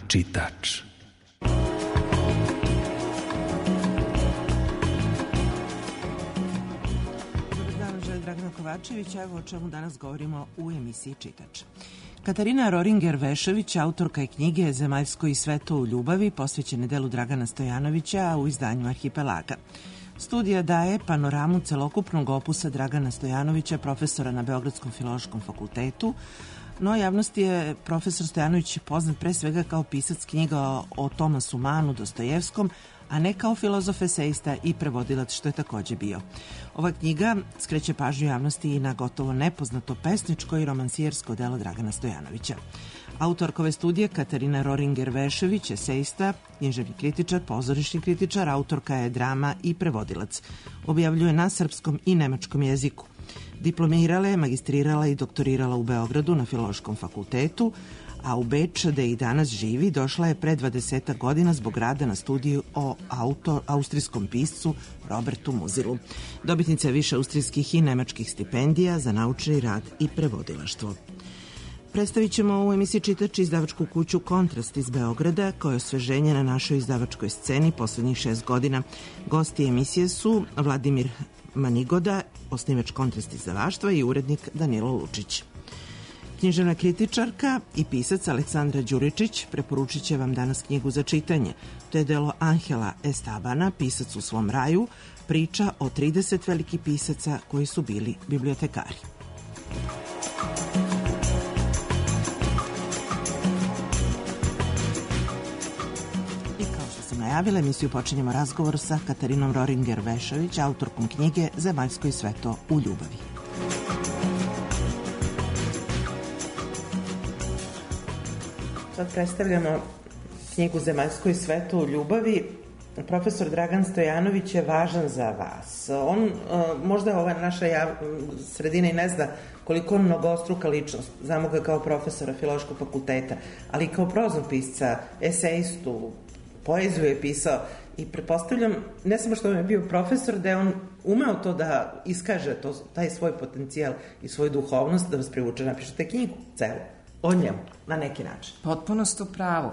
Čitač. Dragana Kovačević, evo o čemu danas govorimo u emisiji Čitač. Katarina Roringer-Vešević, autorka je knjige Zemaljsko i sveto u ljubavi, posvećene delu Dragana Stojanovića u izdanju Arhipelaga. Studija daje panoramu celokupnog opusa Dragana Stojanovića, profesora na Beogradskom filološkom fakultetu, no javnosti je profesor Stojanović poznat pre svega kao pisac knjiga o Tomasu Manu, Dostojevskom, a ne kao filozof, eseista i prevodilac, što je takođe bio. Ova knjiga skreće pažnju javnosti i na gotovo nepoznato pesničko i romansijersko delo Dragana Stojanovića. Autorka ove studije Katarina Roringer-Vešević, eseista, književni kritičar, pozorišni kritičar, autorka je drama i prevodilac. Objavljuje na srpskom i nemačkom jeziku. Diplomirala je, magistrirala i doktorirala u Beogradu na Filološkom fakultetu, a u Beč, da i danas živi, došla je pre 20 godina zbog rada na studiju o austrijskom piscu Robertu Muzilu. Dobitnica je više austrijskih i nemačkih stipendija za naučni rad i prevodilaštvo. Predstavit ćemo u emisiji Čitač izdavačku kuću Kontrast iz Beograda, koja je osveženje na našoj izdavačkoj sceni poslednjih 6 godina. Gosti emisije su Vladimir Manigoda, osnivač Kontrast izdavaštva, i urednik Danilo Lučić. Književna kritičarka i pisac Aleksandra Đuričić preporučit će vam danas knjigu za čitanje. To je delo Angela Estabana, Pisac u svom raju, priča o 30 velikih pisaca koji su bili bibliotekari. I kao što sam najavila, emisiju počinjemo razgovor sa Katarinom Roringer-Vešević, autorkom knjige Zemaljsko i sveto u ljubavi. Sad predstavljamo knjigu Zemaljsko i sveto u ljubavi. Profesor Dragan Stojanović je važan za vas. On, možda ova naša sredina i ne zna koliko on mnogostruka ličnost. Znamo ga kao profesora Filološkog fakulteta, ali i kao proznog pisca, eseistu, poeziju je pisao i pretpostavljam, ne samo što on je bio profesor, da je on umeo to da iskaže, taj svoj potencijal i svoju duhovnost, da vas privuče, napišete knjigu celu o njemu, na neki način. Potpuno ste u pravu.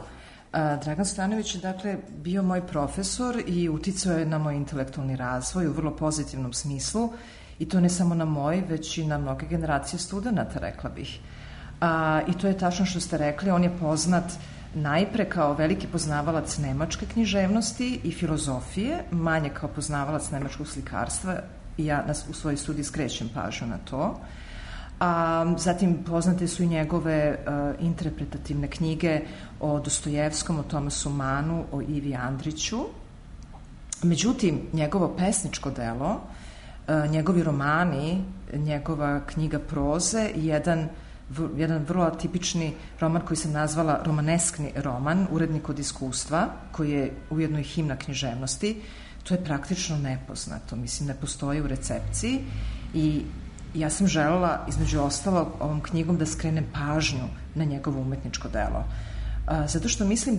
Dragan Stojanović je, dakle, bio moj profesor i uticao je na moj intelektualni razvoj u vrlo pozitivnom smislu, i to ne samo na moj, već i na mnoge generacije studenta, rekla bih. I to je tačno što ste rekli, on je poznat najpre kao veliki poznavalac nemačke književnosti i filozofije, manje kao poznavalac nemačkog slikarstva, i ja u svojoj studiji skrećem pažnju na to. Zatim poznate su i njegove interpretativne knjige o Dostojevskom, o Tomasu Manu, o Ivi Andriću. Međutim, njegovo pesničko delo, njegovi romani, njegova knjiga proze i jedan vrlo atipični roman koji sam nazvala romaneskni roman, Urednik od iskustva, koji je ujedno i himna književnosti, to je praktično nepoznato. Mislim, ne postoji u recepciji i ja sam želela, između ostalog, ovom knjigom da skrenem pažnju na njegovo umetničko delo. Zato što mislim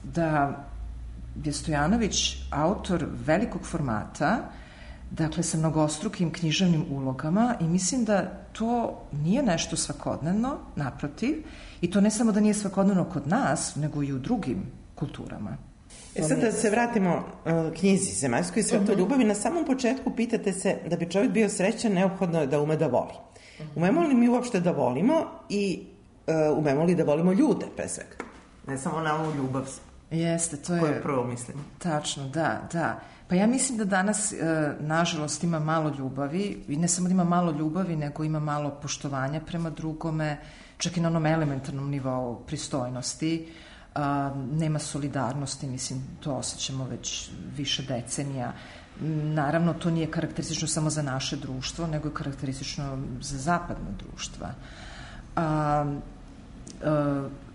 da je Stojanović autor velikog formata, dakle sa mnogostrukim književnim ulogama, i mislim da to nije nešto svakodnevno, naprotiv, i to ne samo da nije svakodnevno kod nas, nego i u drugim kulturama. Sad da se vratimo knjizi Zemaljsko i sveto ljubavi, na samom početku pitate se da bi čovjek bio srećan, neophodno je da ume da voli. Umemo li mi uopšte da volimo i umemo li da volimo ljude, pre svega? Ne samo na ovu ljubav. Jeste, to je... Koje prvo mislim. Tačno, da. Pa ja mislim da danas, nažalost, ima malo ljubavi, i ne samo da ima malo ljubavi, nego ima malo poštovanja prema drugome, čak i na onom elementarnom nivou pristojnosti. Nema solidarnosti, mislim, to osjećamo već više decenija. Naravno, to nije karakteristično samo za naše društvo, nego je karakteristično za zapadno društva.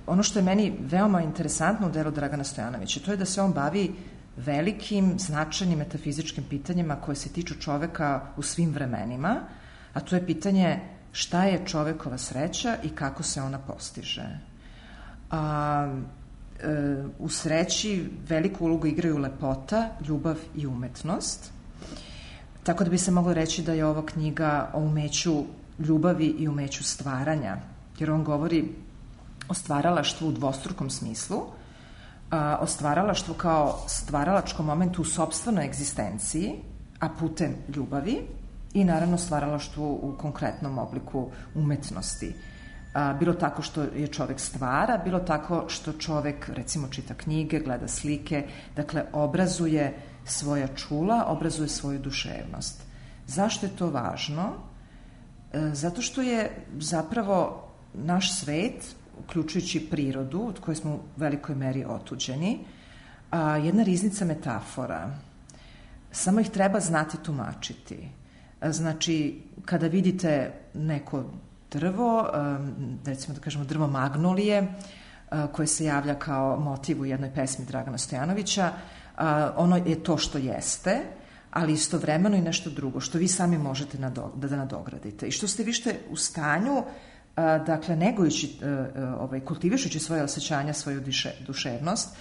Ono što je meni veoma interesantno u delu Dragana Stojanovića, to je da se on bavi velikim, značajnim metafizičkim pitanjima koje se tiču čoveka u svim vremenima, a to je pitanje šta je čovekova sreća i kako se ona postiže. U sreći veliku ulogu igraju lepota, ljubav i umetnost. Tako da bi se moglo reći da je ova knjiga o umeću ljubavi i umeću stvaranja, jer on govori o stvaralaštvu u dvostrukom smislu, o stvaralaštvu kao stvaralačkom momentu u sopstvenoj egzistenciji, a putem ljubavi, i naravno stvaralaštvu u konkretnom obliku umetnosti. Bilo tako što je čovek stvara, bilo tako što čovek, recimo, čita knjige, gleda slike, dakle, obrazuje svoja čula, obrazuje svoju duševnost. Zašto je to važno? Zato što je zapravo naš svet, uključujući prirodu, od koje smo u velikoj meri otuđeni, jedna riznica metafora. Samo ih treba znati tumačiti. Znači, kada vidite neko drvo, recimo da kažemo drvo magnolije, koje se javlja kao motiv u jednoj pesmi Dragana Stojanovića, ono je to što jeste, ali istovremeno i nešto drugo, što vi sami možete da nadogradite. I što ste više u stanju, dakle, negujući, kultivišući svoje osjećanja, svoju duševnost,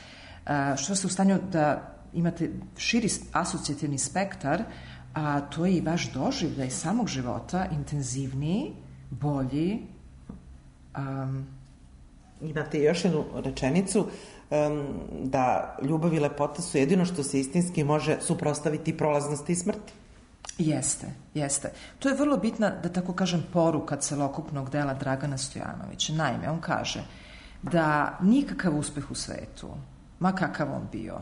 što ste u stanju da imate širi asocijativni spektar, a to je i vaš doživljaj samog života, intenzivniji, bolji. Imate još jednu rečenicu, da ljubav i lepota su jedino što se istinski može suprotstaviti prolaznosti i smrti. Jeste. To je vrlo bitna, da tako kažem, poruka celokupnog dela Dragana Stojanovića. Naime, on kaže da nikakav uspeh u svetu, ma kakav on bio,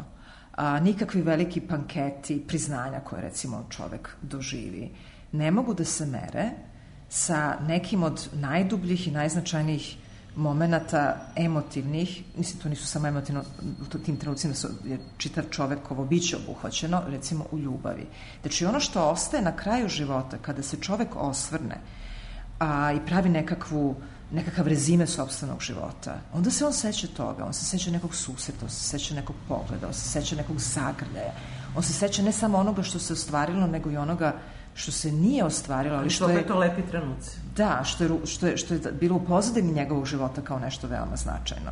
nikakvi veliki panketi, priznanja koje, recimo, čovek doživi, ne mogu da se mere sa nekim od najdubljih i najznačajnijih momenata emotivnih, mislim, to nisu samo emotivno, u tim trenucima je čitav čovekovo biće obuhvaćeno, recimo u ljubavi. Znači, ono što ostaje na kraju života, kada se čovek osvrne i pravi nekakav rezime sopstvenog života, onda se on seća toga, on se seća nekog susreta, on se seća nekog pogleda, on se seća nekog zagrljaja, on se seća ne samo onoga što se ostvarilo, nego i onoga što se nije ostvarilo, ali što je... to lepi trenuci. Da, što je bilo u pozadini njegovog života kao nešto veoma značajno.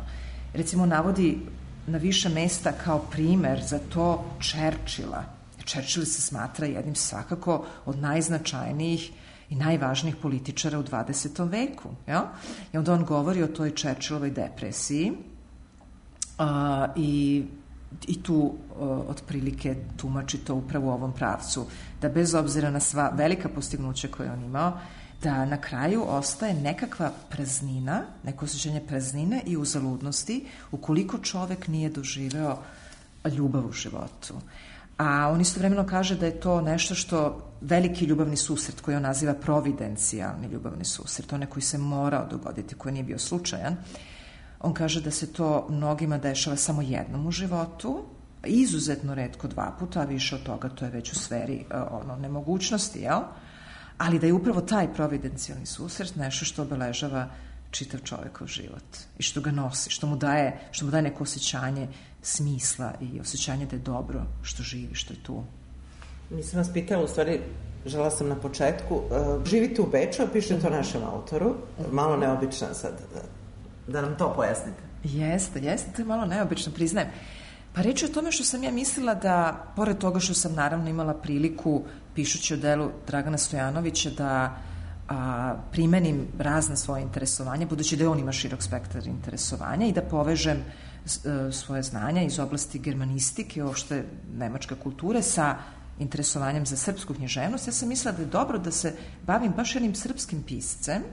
Recimo, navodi na više mesta kao primer za to Churchilla. Churchill se smatra jednim svakako od najznačajnijih i najvažnijih političara u 20. veku. Ja? I onda on govori o toj Churchillovoj depresiji i tu otprilike tumači to upravo u ovom pravcu, da bez obzira na sva velika postignuća koje on imao, da na kraju ostaje nekakva praznina, neko osjećanje praznine i uzaludnosti ukoliko čovek nije doživeo ljubav u životu. A on istovremeno kaže da je to nešto što veliki ljubavni susret, koji on naziva providencijalni ljubavni susret, onaj koji se morao dogoditi, koji nije bio slučajan, on kaže da se to mnogima dešava samo jednom u životu, izuzetno retko 2 puta, a više od toga to je već u sferi nemogućnosti, jel? Ali da je upravo taj providencijalni susret nešto što obeležava čitav čovekov život i što ga nosi, što mu daje neko osjećanje smisla i osjećanje da je dobro što živi, što je tu. Nisam vas pitala, u stvari, žela sam na početku, živite u Beču, a pišete o našem autoru, malo neobično sad, da nam to pojasnite. Jeste, to je malo neobično, priznajem. Pa reč je o tome što sam ja mislila da, pored toga što sam naravno imala priliku, pišući o delu Dragana Stojanovića, da primenim razne svoje interesovanje, budući da on ima širok spektar interesovanja, i da povežem svoje znanja iz oblasti germanistike, uopšte nemačke kulture, sa interesovanjem za srpsku književnost. Ja sam mislila da je dobro da se bavim baš jednim srpskim piscem,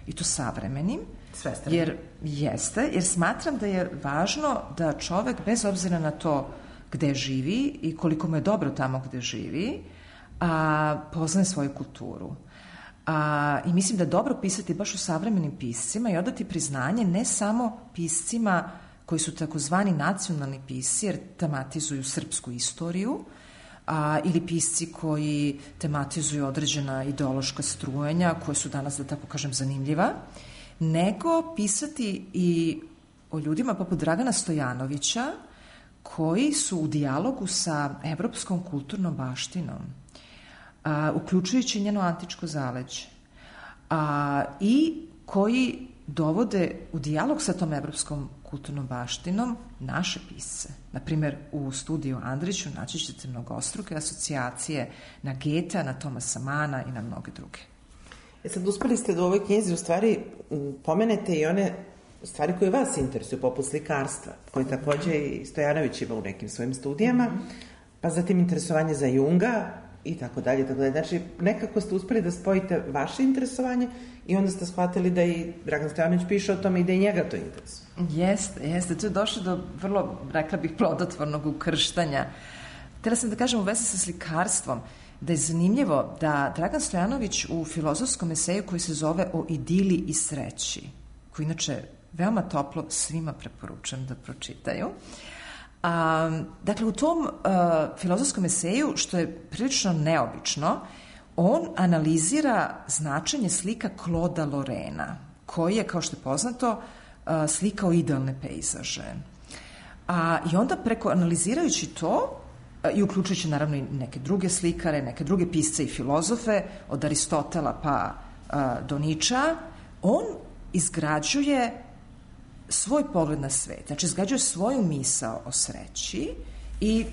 i to savremenim, jer smatram da je važno da čovek, bez obzira na to gde živi i koliko mu je dobro tamo gde živi, poznaje svoju kulturu. I mislim da je dobro pisati baš o savremenim piscima i odati priznanje ne samo piscima koji su takozvani nacionalni pisci, jer tematizuju srpsku istoriju, ili pisci koji tematizuju određena ideološka strujenja, koje su danas, da tako kažem, zanimljiva, nego pisati i o ljudima poput Dragana Stojanovića, koji su u dijalogu sa evropskom kulturnom baštinom, uključujući njeno antičko zaleđe, i koji dovode u dijalog sa tom evropskom kulturnom baštinom naše pisce. Naprimjer, u studiju Andriću naći ćete mnogostruke asocijacije na Goethea, na Thomasa Mana i na mnoge druge. Sad uspeli ste da u ovoj knjizi u stvari pomenete i one stvari koje vas interesuju, poput slikarstva, koje takođe i Stojanović ima u nekim svojim studijama, pa zatim interesovanje za Junga i tako dalje, tako dalje. Znači, nekako ste uspeli da spojite vaše interesovanje i onda ste shvatili da i Dragan Stojanović piše o tome i da i njega to interesuje. Jeste. To je došlo do vrlo, rekla bih, plodotvornog ukrštanja. Htjela sam da kažem u vezi sa slikarstvom, da je zanimljivo da Dragan Stojanović u filozofskom eseju koji se zove O idili i sreći, koji inače veoma toplo svima preporučujem da pročitaju. Dakle, u tom filozofskom eseju, što je prilično neobično, on analizira značenje slika Clauda Lorraina, koji je, kao što je poznato, slikao idealne pejzaže. I onda analizirajući to, i uključujući naravno i neke druge slikare, neke druge pisce i filozofe, od Aristotela pa do Ničea, on izgrađuje svoj pogled na svet, znači izgrađuje svoju misao o sreći i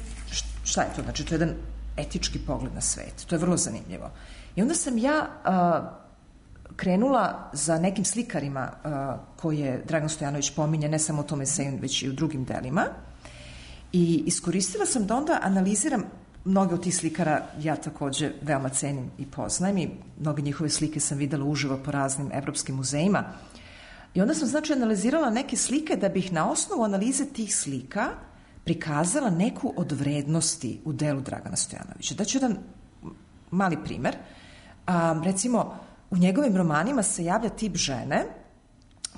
šta je to? Znači, to je jedan etički pogled na svet. To je vrlo zanimljivo. I onda sam ja krenula za nekim slikarima koje Dragan Stojanović pominje, ne samo u tom eseju, već i u drugim delima. I iskoristila sam da onda analiziram mnoge od tih slikara, ja takođe veoma cenim i poznajem i mnoge njihove slike sam videla uživo po raznim evropskim muzejima. I onda sam, znači, analizirala neke slike da bih na osnovu analize tih slika prikazala neku od vrednosti u delu Dragana Stojanovića. Daću jedan mali primer. Recimo, u njegovim romanima se javlja tip žene,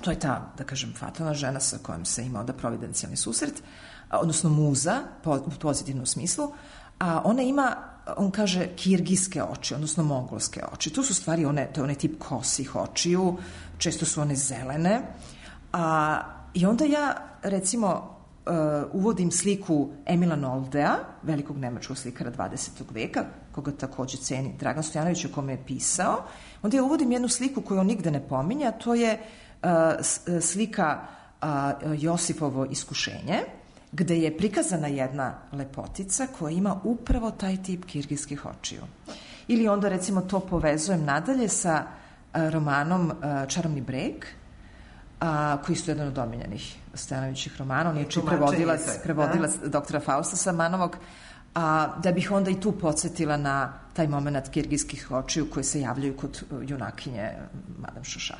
to je ta, da kažem, fatalna žena sa kojom se ima onda providencijalni susret, odnosno muza, u pozitivnom smislu, a ona ima, on kaže, kirgijske oči, odnosno mongolske oči. To su stvari, to je onaj tip kosih očiju, često su one zelene. I onda ja, recimo, uvodim sliku Emila Noldea, velikog nemačkog slikara 20. veka, koga takođe ceni Dragan Stojanović, o kome je pisao. Onda ja uvodim jednu sliku koju on nigde ne pominje, a to je slika Josipovo iskušenje, gde je prikazana jedna lepotica koja ima upravo taj tip kirgijskih očiju. Ili onda, recimo, to povezujem nadalje sa romanom Čarobni breg, koji su jedan od omiljenih Stojanovićih romana. On je prevodilac doktora Fausta Samanovog, da bih onda i tu podsjetila na taj moment kirgijskih očiju koje se javljaju kod junakinje Madame Šoša.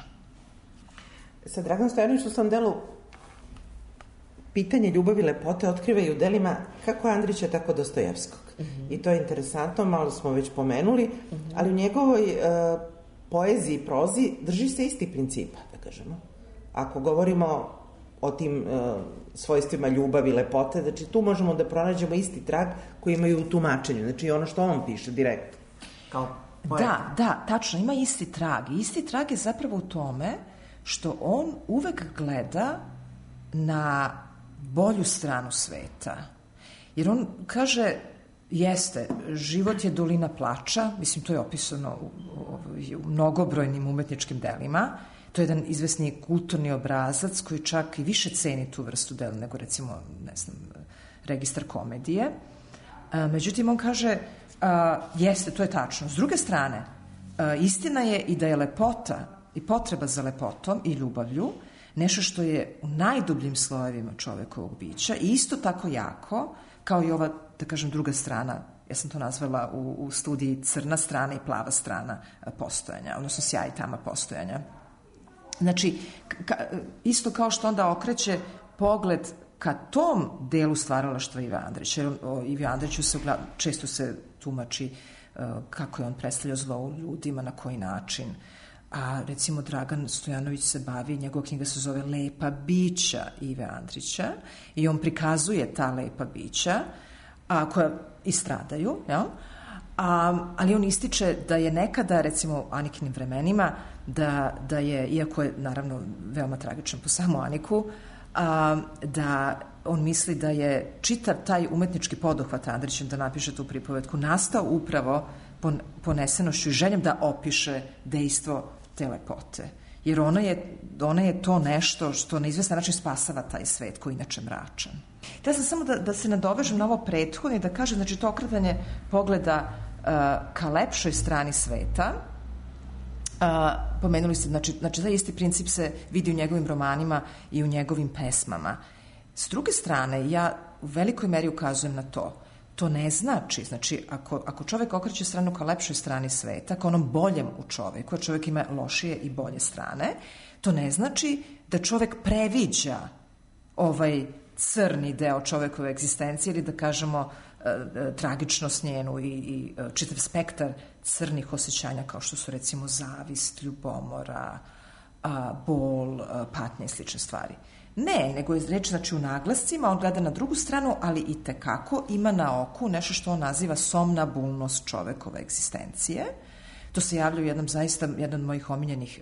Sa Dragan Stojanović u svom delu pitanje ljubavi i lepote otkriva i u delima kako Andrića, tako Dostojevskog. I to je interesantno, malo smo već pomenuli, ali u njegovoj poeziji i prozi drži se isti principa, da kažemo. Ako govorimo o tim svojstvima ljubavi i lepote, znači tu možemo da pronađemo isti trag koji imaju u tumačenju, znači ono što on piše direktno. Da, tačno, ima isti trag. I isti trag je zapravo u tome što on uvek gleda na bolju stranu sveta. Jer on kaže, jeste, život je dolina plača, mislim, to je opisano u mnogobrojnim umetničkim delima, to je jedan izvesni kulturni obrazac koji čak i više ceni tu vrstu dela nego, recimo, ne znam, Registar komedije. Međutim, on kaže, jeste, to je tačno. S druge strane, istina je i da je lepota i potreba za lepotom i ljubavlju nešto što je u najdubljim slojevima čovekovog bića i isto tako jako kao i ova, da kažem, druga strana, ja sam to nazvala u studiji crna strana i plava strana postojanja, odnosno sjaj i tama postojanja. Znači, isto kao što onda okreće pogled ka tom delu stvaralaštva Ive Andrića, jer Ive Andriću često se tumači kako je on predstavljao zlo u ljudima, na koji način. A recimo Dragan Stojanović se bavi, njegova knjiga se zove Lepa bića Ive Andrića i on prikazuje ta lepa bića koja i stradaju, jel? Ali on ističe da je nekada, recimo u Anikinim vremenima, da je, iako je naravno veoma tragičan po samu Aniku, da on misli da je čitav taj umetnički poduhvat Andrićem da napiše tu pripovetku nastao upravo ponesenošću i željom da opiše dejstvo te lepote. jer ona je to nešto što na izvestan način spasava taj svet koji je inače mračan. Ja sam samo da se nadovežem na ovo prethodno i da kažem, znači to okretanje pogleda ka lepšoj strani sveta. Pomenuli ste, znači taj isti princip se vidi u njegovim romanima i u njegovim pesmama. S druge strane, ja u velikoj meri ukazujem na to. To ne znači, ako čovek okreće stranu ka lepšoj strani sveta, ka onom boljem u čoveku, a čovek ima lošije i bolje strane, to ne znači da čovek previđa ovaj crni deo čovekove egzistencije ili da kažemo tragičnost njenu i čitav spektar crnih osjećanja kao što su recimo zavist, ljubomora, bol, patnje i slične stvari. Ne, nego je reč znači u naglascima, on gleda na drugu stranu, ali i tekako ima na oku nešto što on naziva somnabulnost čovekove egzistencije. To se javlja u jedan od mojih omiljenih,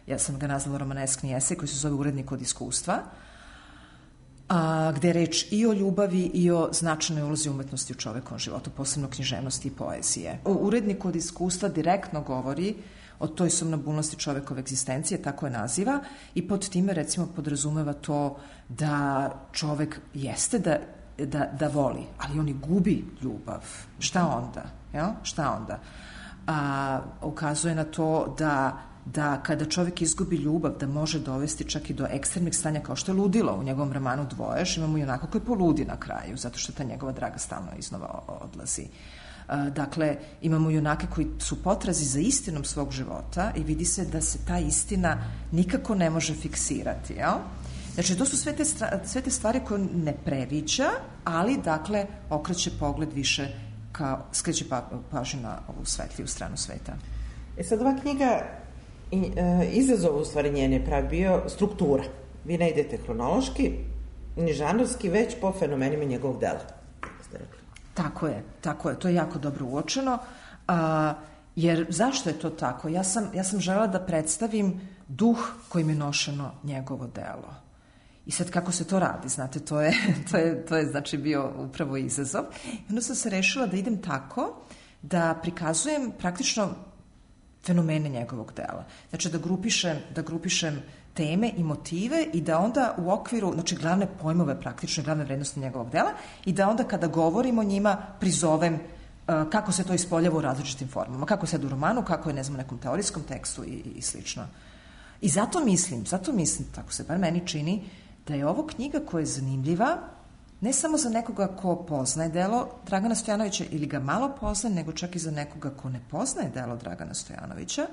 ja sam ga nazvala romaneskni esej koji se zove Urednik od iskustva, gde je reč i o ljubavi i o značajnoj ulozi umetnosti u čovekovom životu, posebno književnosti i poezije. U Uredniku od iskustva direktno govori o toj somnabulnosti čovekove egzistencije, tako je naziva, i pod time recimo podrazumeva to da čovek jeste da voli, ali on i gubi ljubav. Šta onda? Ja? Šta onda? Ukazuje na to da kada čovek izgubi ljubav, da može dovesti čak i do ekstremnih stanja kao što je ludilo u njegovom romanu Dvoješ, imamo i onako koji poludi na kraju, zato što ta njegova draga stalno iznova odlazi. Dakle, imamo junake koji su potrazi za istinom svog života i vidi se da se ta istina nikako ne može fiksirati. Jel? Znači, to su sve te stvari koje ne previđa, ali, dakle, okreće pogled više skreće pažnju na ovu svetliju stranu sveta. Sad, ova knjiga, izazov u stvari njene pravi bio struktura. Vi ne idete hronološki, ni žanrovski, već po fenomenima njegovog dela, ste rekli. Tako je, to je jako dobro uočeno, jer zašto je to tako? Ja sam želela da predstavim duh kojim je nošeno njegovo delo. I sad kako se to radi, znate, to je znači bio upravo izazov. I onda sam se rešila da idem tako da prikazujem praktično fenomene njegovog dela. Znači da grupišem teme i motive i da onda u okviru, znači glavne pojmove praktično, glavne vrednosti njegovog dela i da onda kada govorim o njima prizovem kako se to ispoljava u različitim formama, kako se u romanu, kako je, ne znam, u nekom teorijskom tekstu i slično. I zato mislim, tako se bar meni čini, da je ovo knjiga koja je zanimljiva ne samo za nekoga ko poznaje delo Dragana Stojanovića ili ga malo poznaje, nego čak i za nekoga ko ne poznaje delo Dragana Stojanovića,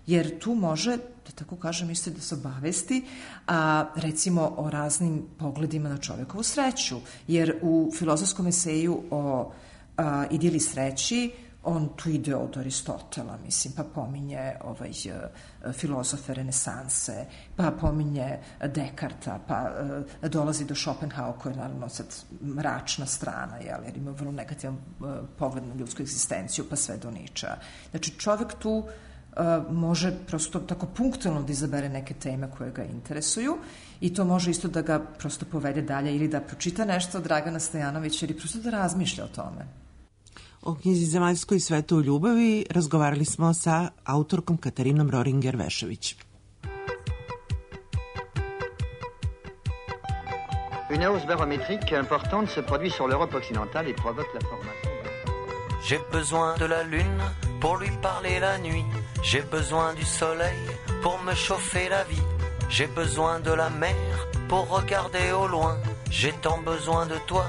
jer tu može, da tako kažem, isto da se obavesti, recimo o raznim pogledima na čovekovu sreću, jer u filozofskom eseju o idili sreći on tu ide od Aristotela, mislim, pa pominje filozofe renesanse, pa pominje Dekarta, pa dolazi do Schopenhauera, koja je naravno sad mračna strana, jer ima vrlo negativan pogled na ljudsku egzistenciju, pa sve do Niča. Znači, čovek tu može prosto tako punktualno da izabere neke teme koje ga interesuju i to može isto da ga prosto povede dalje ili da pročita nešto od Dragana Stojanovića ili prosto da razmišlja o tome. O knjizi Zemaljsko i sveto u ljubavi razgovarali smo sa autorkom Katarinom Roringer-Vešević. Une hausse barométrique importante se produit sur l'Europe occidentale et provoque la formation. J'ai besoin de la lune pour lui parler la nuit. J'ai besoin du soleil pour me chauffer la vie. J'ai besoin de la mer pour regarder au loin. J'ai tant besoin de toi,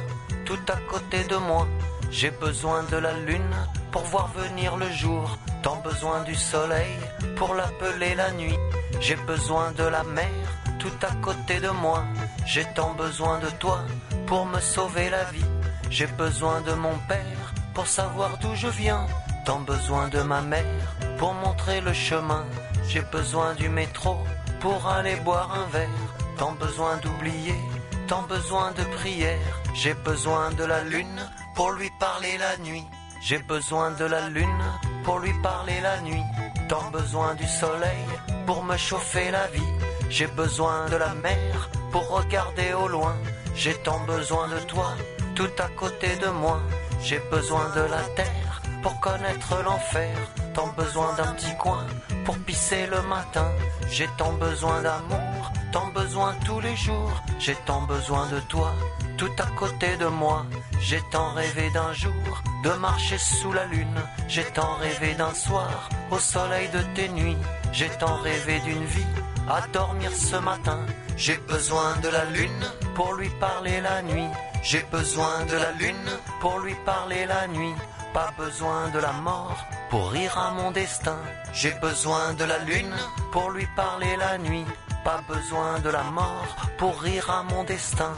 tout à côté de moi. J'ai besoin de la lune pour voir venir le jour. Tant besoin du soleil pour l'appeler la nuit. J'ai besoin de la mer tout à côté de moi. J'ai tant besoin de toi pour me sauver la vie. J'ai besoin de mon père pour savoir d'où je viens. Tant besoin de ma mère pour montrer le chemin. J'ai besoin du métro pour aller boire un verre. Tant besoin d'oublier, tant besoin de prière. J'ai besoin de la lune pour lui parler la nuit. J'ai besoin de la lune pour lui parler la nuit. Tant besoin du soleil pour me chauffer la vie. J'ai besoin de la mer pour regarder au loin. J'ai tant besoin de toi, tout à côté de moi. J'ai besoin de la terre pour connaître l'enfer. Tant besoin d'un petit coin pour pisser le matin. J'ai tant besoin d'amour, tant besoin tous les jours. J'ai tant besoin de toi, tout à côté de moi. J'ai tant rêvé d'un jour de marcher sous la lune. J'ai tant rêvé d'un soir au soleil de tes nuits. J'ai tant rêvé d'une vie à dormir ce matin. J'ai besoin de la lune pour lui parler la nuit. J'ai besoin de la lune pour lui parler la nuit. Pas besoin de la mort pour rire à mon destin. J'ai besoin de la lune pour lui parler la nuit. Pas besoin de la mort pour rire à mon destin.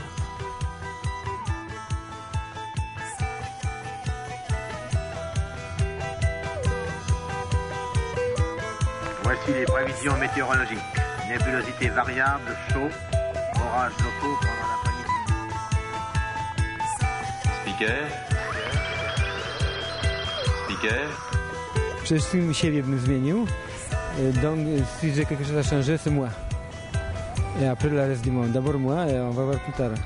Voici les prévisions météorologiques. Nébulosité variable, chaud, orages locaux pendant l'après-midi. Speaker. Przede wszystkim siebie bym zmienił. Donc, si j'ai quelque chose à changer, c'est moi. Et après, le reste du monde. D'abord moi, et on va voir plus tard.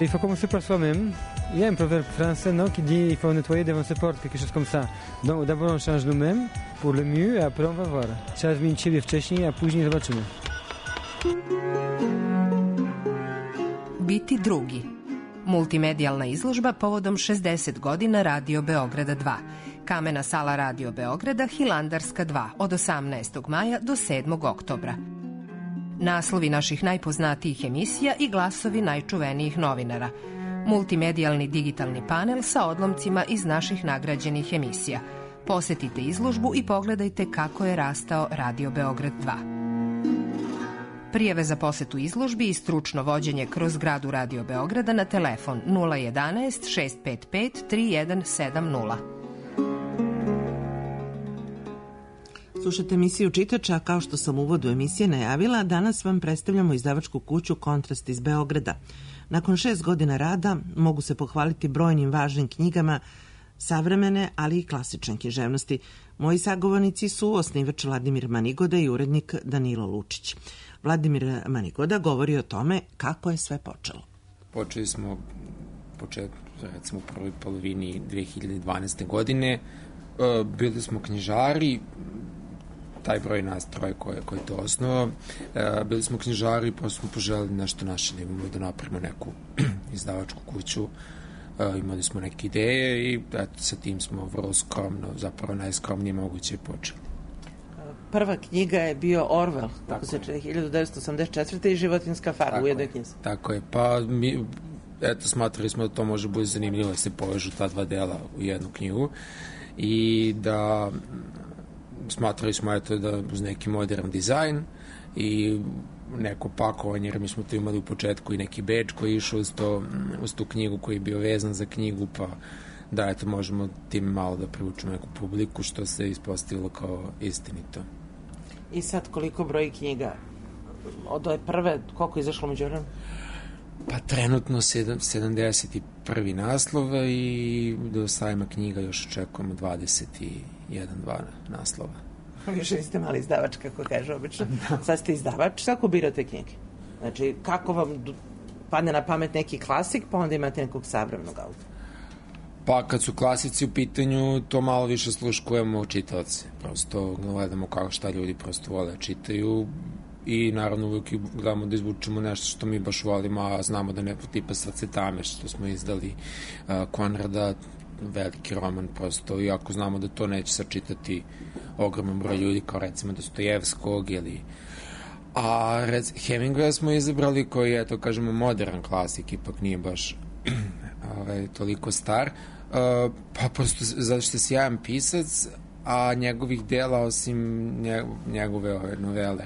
Il faut commencer par soi-même. Il y a un proverbe français qui dit qu'il faut nettoyer devant ses portes, quelque chose comme ça. Donc, d'abord, on change nous-mêmes pour le mieux, et après, on va voir. Trzeba zmienić siebie wcześniej, a później zobaczymy. Biti drugi. Multimedijalna izložba povodom 60 godina Radio Beograda 2. Kamena sala Radio Beograda, Hilandarska 2, od 18. maja do 7. oktobra. Naslovi naših najpoznatijih emisija i glasovi najčuvenijih novinara. Multimedijalni digitalni panel sa odlomcima iz naših nagrađenih emisija. Posetite izložbu i pogledajte kako je rastao Radio Beograd 2. Prijave za posetu izložbi i stručno vođenje kroz zgradu Radio Beograda na telefon 011 655 3170. Slušate emisiju Čitača, a kao što sam u uvodu emisije najavila, danas vam predstavljamo izdavačku kuću Kontrast iz Beograda. Nakon 6 godina rada mogu se pohvaliti brojnim važnim knjigama savremene, ali i klasične književnosti. Moji sagovornici su osnivač Vladimir Manigoda i urednik Danilo Lučić. Vladimir Manigoda govori o tome kako je sve počelo. Počeli smo recimo u prvoj polovini 2012. godine. Bili smo knjižari, taj broj nas troje koji je to osnovao. Bili smo knjižari, pa smo poželili nešto naše da imamo, da napravimo neku izdavačku kuću. Imali smo neke ideje i sa tim smo vrlo skromno, zapravo najskromnije moguće počeli. Prva knjiga je bio Orwell, tako se 1984. i Životinjska farma u jednoj knjizi. Tako je, pa mi smatrali smo da to može biti zanimljivo da se povežu ta dva dela u jednu knjigu i da smatrali smo da uz neki modern dizajn i neko pakovanje, jer mi smo tu imali u početku i neki bedž koji je išao uz tu knjigu koji je bio vezan za knjigu, pa da možemo tim malo da privučemo neku publiku, što se ispostavilo kao istinito. I sad koliko broji knjiga? Od ove prve, koliko je izašlo među vremenu? Pa trenutno 71. naslova i do sajma knjiga još očekujemo 21-2 naslova. Više niste mali izdavač, kako kaže obično. Sad ste izdavač, kako birate knjige? Znači, kako vam padne na pamet neki klasik, pa onda imate nekog savremenog autora? Pa kad su klasici u pitanju, to malo više sluškujemo čitaoce. Prosto gledamo kako šta ljudi prosto vole čitaju i naravno uvijek gledamo da izvučemo nešto što mi baš volimo, a znamo da neko tipa Sacetame što smo izdali Konrada, veliki roman prosto, iako znamo da to neće sačitati ogroman broj ljudi kao recimo Dostojevskog ili Hemingwaya smo izabrali koji je, to kažemo, modern klasik, ipak nije baš toliko star, pa prosto zato što je sjajan pisac, a njegovih dela, osim njegove novele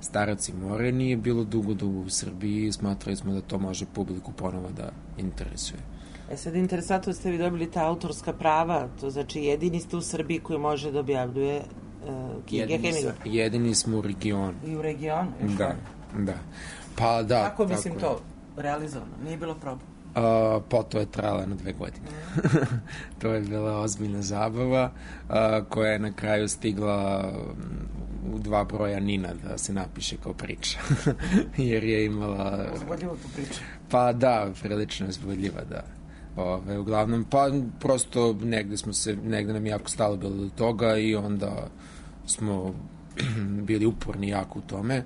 Starac i more, nije bilo dugo u Srbiji i smatrali smo da to može publiku ponovo da interesuje. Sad interesantno ste vi dobili ta autorska prava, to znači jedini ste u Srbiji koji može da objavljuje knjige Hemingwaya. Jedini smo u regionu. I u regionu? Da. Pa da. Kako mislim to realizovano? Nije bilo proba? Pa to je trajalo 2 godine. To je bila ozbiljna zabava koja je na kraju stigla u 2 broja Nina da se napiše kao priča. Jer je imala... Uzbudljivo tu priča. Pa da, prilično uzbudljiva, da. Uglavnom, pa prosto negde nam jako stalo bilo do toga i onda smo bili uporni jako u tome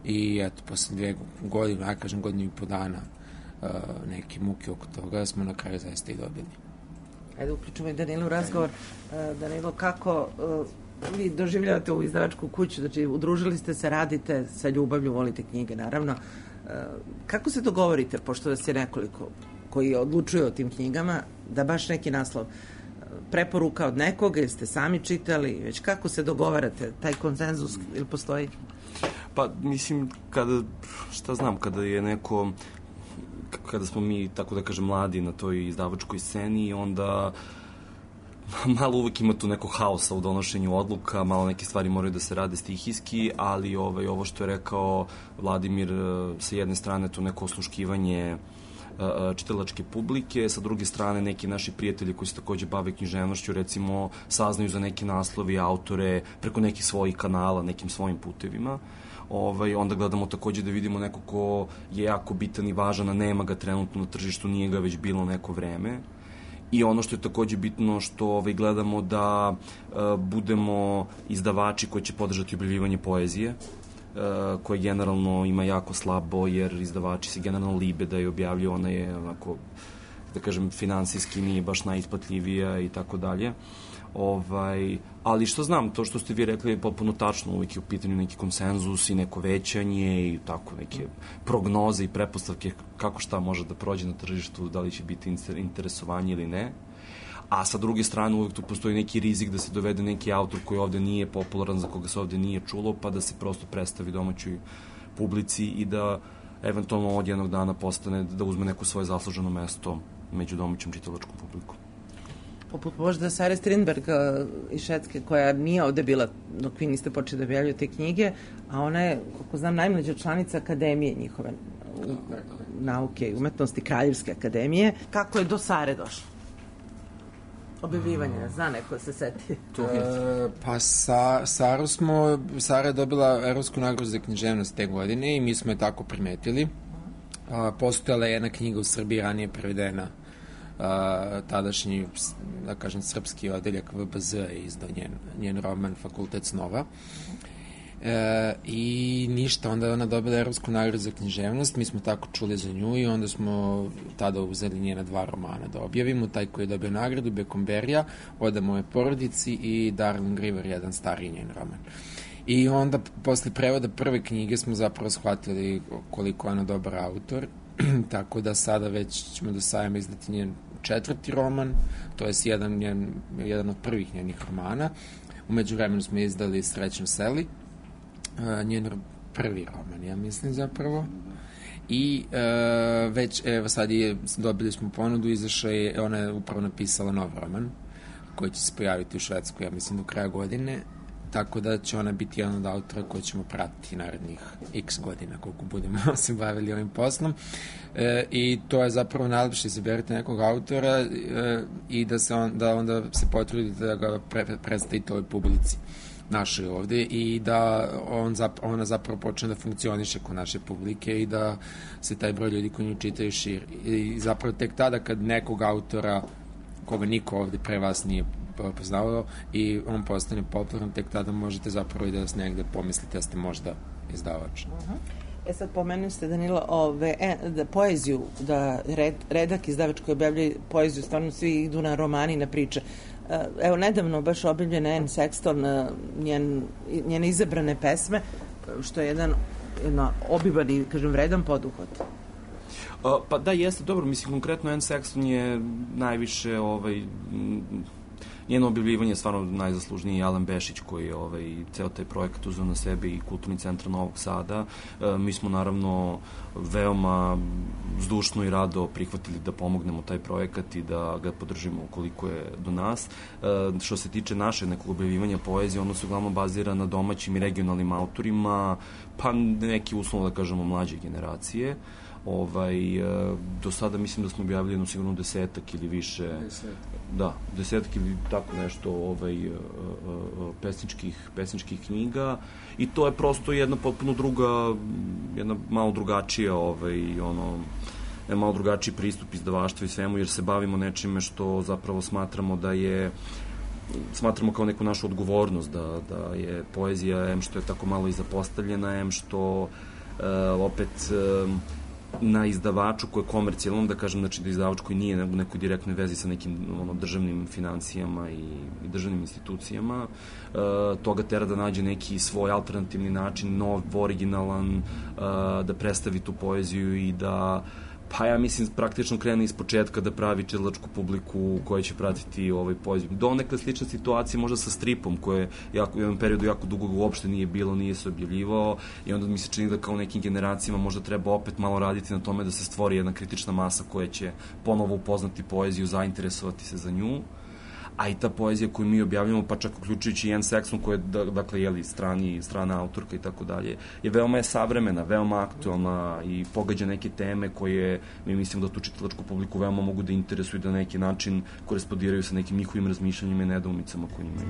i eto, posle 2 godine, ja kažem godinu i po dana neke muke oko toga, smo na kraju zaista i dobili. Ajde, uključimo i Danilu u razgovor. Danilo, kako vi doživljavate ovu izdavačku kuću? Znači, udružili ste se, radite sa ljubavlju, volite knjige, naravno. Kako se dogovorite, pošto vas je nekoliko koji odlučuju o tim knjigama, da baš neki naslov preporuka od nekoga ili ste sami čitali, već kako se dogovarate, taj konsenzus ili postoji? Pa, mislim, kada je neko, kada smo mi, tako da kažem, mladi na toj izdavačkoj sceni, onda malo uvek ima tu neko haosa u donošenju odluka, malo neke stvari moraju da se rade stihijski, ali ovo što je rekao Vladimir, sa jedne strane to neko osluškivanje čitalačke publike, sa druge strane neki naši prijatelji koji se takođe bave književnošću, recimo, saznaju za neki naslovi, autore, preko nekih svojih kanala, nekim svojim putevima. Onda gledamo takođe da vidimo neko ko je jako bitan i važan, a nema ga trenutno na tržištu, nije ga već bilo neko vreme. I ono što je takođe bitno, što gledamo da budemo izdavači koji će podržati objavljivanje poezije, koje generalno ima jako slabo, jer izdavači se generalno libe da je objavljuju, ona je onako, da kažem, finansijski nije baš najisplatljivija i tako dalje. Ali što znam, to što ste vi rekli je potpuno tačno, uvijek je u pitanju neki konsenzus i neko većanje i tako neke prognoze i prepostavke kako šta može da prođe na tržištu, da li će biti interesovanje ili ne. A sa druge strane uvijek tu postoji neki rizik da se dovede neki autor koji ovde nije popularan, za koga se ovde nije čulo, pa da se prosto predstavi domaćoj publici i da eventualno od jednog dana postane, da uzme neko svoje zasluženo mesto među domaćom čitalačkom publikom. Poput možda Sare Strindberg iz Švedske, koja nije ovde bila dok vi niste počeli da objavljujete knjige, a ona je, kako znam, najmlađa članica akademije njihove nauke i umetnosti, Kraljevske akademije. Kako je do Sare došlo? Objavljivanje, zna neko se seti. Pa Sara je dobila Evropsku nagradu za književnost te godine i mi smo je tako primetili. Postojala je jedna knjiga u Srbiji ranije prevedena, tadašnji, da kažem, srpski odeljak VBZ je izdao njen roman Fakultet snova. I ništa, onda je ona dobila Evropsku nagradu za književnost, mi smo tako čuli za nju i onda smo tada uzeli njena 2 romana da objavimo, taj koji je dobio nagradu, Bekomberija, Oda moje porodici i Darling River, jedan stariji njen roman. I onda, posle prevoda prve knjige smo zapravo shvatili koliko je ona dobar autor, tako da sada već ćemo do sajama izdati njen 4. roman, to je jedan od prvih njenih romana. Umeđu vremenu smo izdali Srećno seli, njen prvi roman, ja mislim zapravo. I već, evo sad dobili smo ponudu, izašao je, ona je upravo napisala nov roman, koji će se pojaviti u Švedskoj, ja mislim, do kraja godine. Tako da će ona biti jedan od autora koji ćemo pratiti narednih x godina koliko budemo se bavili ovim poslom. I to je zapravo najlepše, izaberite nekog autora i da onda se potrudite da ga predstavite ovoj publici našoj ovde i da ona zapravo počne da funkcioniše kod naše publike i da se taj broj ljudi koji nju čitaju širi. I zapravo tek tada kad nekog autora koga niko ovde pre vas nije poznavao i on postane popularan, tek tada možete zapravo i da vas negde pomislite da ste možda izdavač. Sad pomenuli ste, Danilo, da poeziju, da redak izdavač koji objavljaju poeziju, stvarno svi idu na romani, na priče. Evo, nedavno baš objavljena Anne Sexton, njene izabrane pesme, što je jedan obiman i, kažem, vredan poduhvat. Pa da, jeste, dobro, mislim, konkretno Anne Sexton je najviše, njeno objavljivanje je stvarno najzaslužniji Alan Bešić koji je ceo taj projekat uzeo na sebe i Kulturni centar Novog Sada. Mi smo naravno veoma zdušno i rado prihvatili da pomognemo taj projekat i da ga podržimo ukoliko je do nas. Što se tiče naše nekog objavljivanja poezije, ono se uglavnom bazira na domaćim i regionalnim autorima, pa neki uslovno da kažemo mlađe generacije. Do sada mislim da smo objavili jedno sigurno 10 ili više. 10 ili tako nešto pesničkih knjiga i to je prosto jedna potpuno druga, jedna malo drugačija malo drugačiji pristup izdavaštvu i svemu, jer se bavimo nečime što zapravo smatramo kao neku našu odgovornost, da je poezija, em što je tako malo i zapostavljena, em što opet na izdavaču koji je komercijalno, da kažem, znači da izdavač koji nije u nekoj direktnoj vezi sa nekim državnim financijama i državnim institucijama, toga tera da nađe neki svoj alternativni način, nov, originalan, da predstavi tu poeziju i da, pa ja mislim, praktično krene iz početka da pravi čitalačku publiku koja će pratiti poeziju. Donekle slična situacija možda sa stripom, koje u jednom periodu jako dugo uopšte nije bilo, nije se objavljivao i onda mi se čini da kao nekim generacijama možda treba opet malo raditi na tome da se stvori jedna kritična masa koja će ponovo upoznati poeziju, zainteresovati se za nju. A i ta poezija koju mi objavljamo, pa čak uključujući Ian Sexton, koja je, dakle, strana autorka i tako dalje, je veoma savremena, veoma aktualna i pogađa neke teme koje, mi mislimo da tu čitalačku publiku veoma mogu da interesuju i da na neki način korespondiraju sa nekim njihovim razmišljanjima i nedoumicama koje imaju.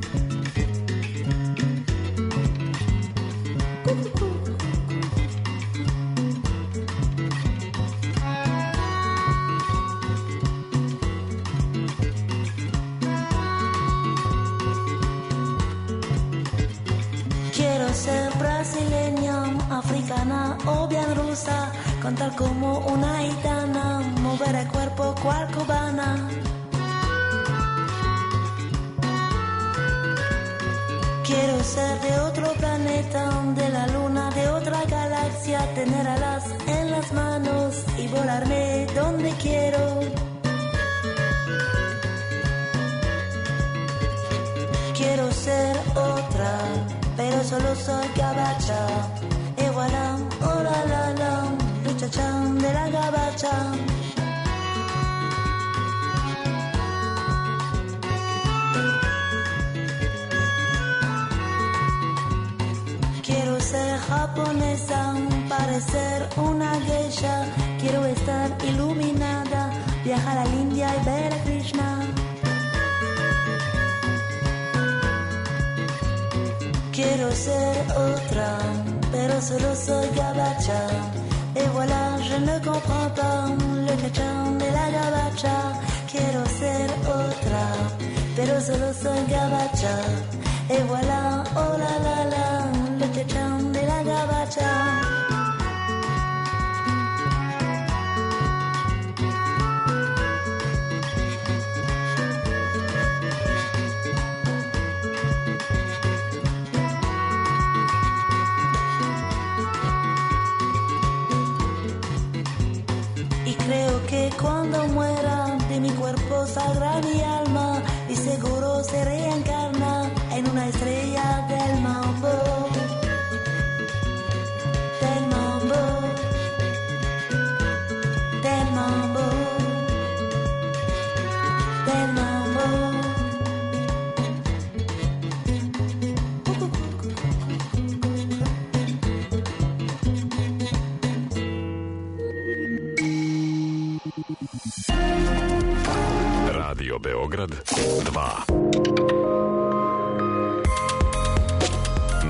Africana o bien rusa, cantar como una gitana, mover el cuerpo cual cubana. Quiero ser de otro planeta, de la luna, de otra galaxia, tener alas en las manos y volarme donde quiero. Quiero ser otra, pero solo soy gabacha. Et voilà, oh la la la, le chachán de la gabacha. Quiero ser japonesa, parecer una geisha. Quiero estar iluminada, viajar a la India y ver a Krishna. Quiero ser otra, pero solo soy gabacha. Et voilà, je ne comprends pas le cachán de la gabacha. Quiero ser otra, pero solo soy gabacha. Et voilà, oh la la la, le cachán de la gabacha. Cuando muera de mi cuerpo saldrá mi alma y seguro se reencarna en una estrella del mambo. Del mambo. Del mambo. Del mambo. Radio Beograd 2.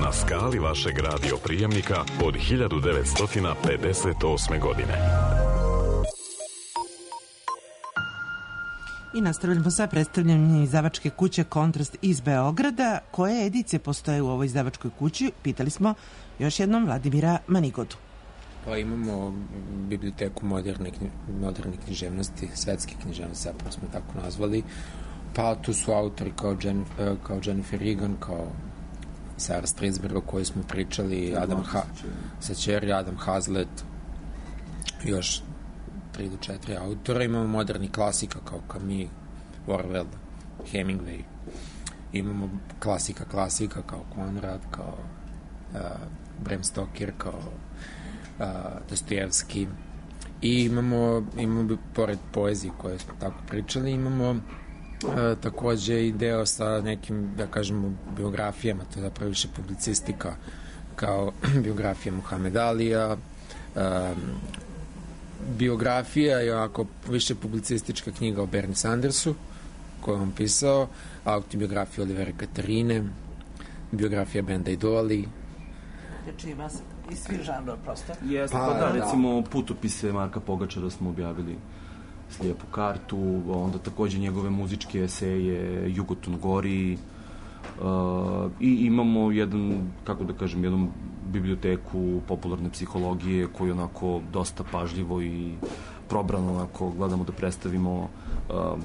Na skali vašeg radio prijemnika od 1958. godine. I nastavljamo sa predstavljanjem izdavačke kuće Kontrast iz Beograda. Koje edicije postoje u ovoj izdavačkoj kući? Pitali smo još jednom Vladimira Manigodu. Pa imamo biblioteku moderne književnosti, svetske književnosti, zapravo smo tako nazvali. Pa tu su autori kao Jennifer Regan, kao Sarah Stridsberg, o kojoj smo pričali, Sačeri, Adam Hazlitt, još 3 do 4 autora. Imamo moderni klasika kao Camus, Orwell, Hemingway. Imamo klasika kao Konrad, kao Bram Stoker, kao Dostojevski. I imamo pored poezije koje smo tako pričali, imamo takođe i deo sa nekim, da kažemo, biografijama, to je zapravo više publicistika, kao biografija Muhammed Alija, biografija je ovako više publicistička knjiga o Bernie Sandersu, koju je on pisao, autobiografija Olivera Katarine, biografija Benda Idoli, preteče ima iz svih žanrova prosto. Jeste, pa da, recimo putopise Marka Pogačara smo objavili Slijepu kartu, onda takođe njegove muzičke eseje Jugoton gori, i imamo jednu biblioteku popularne psihologije koju onako dosta pažljivo i probrano onako gledamo da predstavimo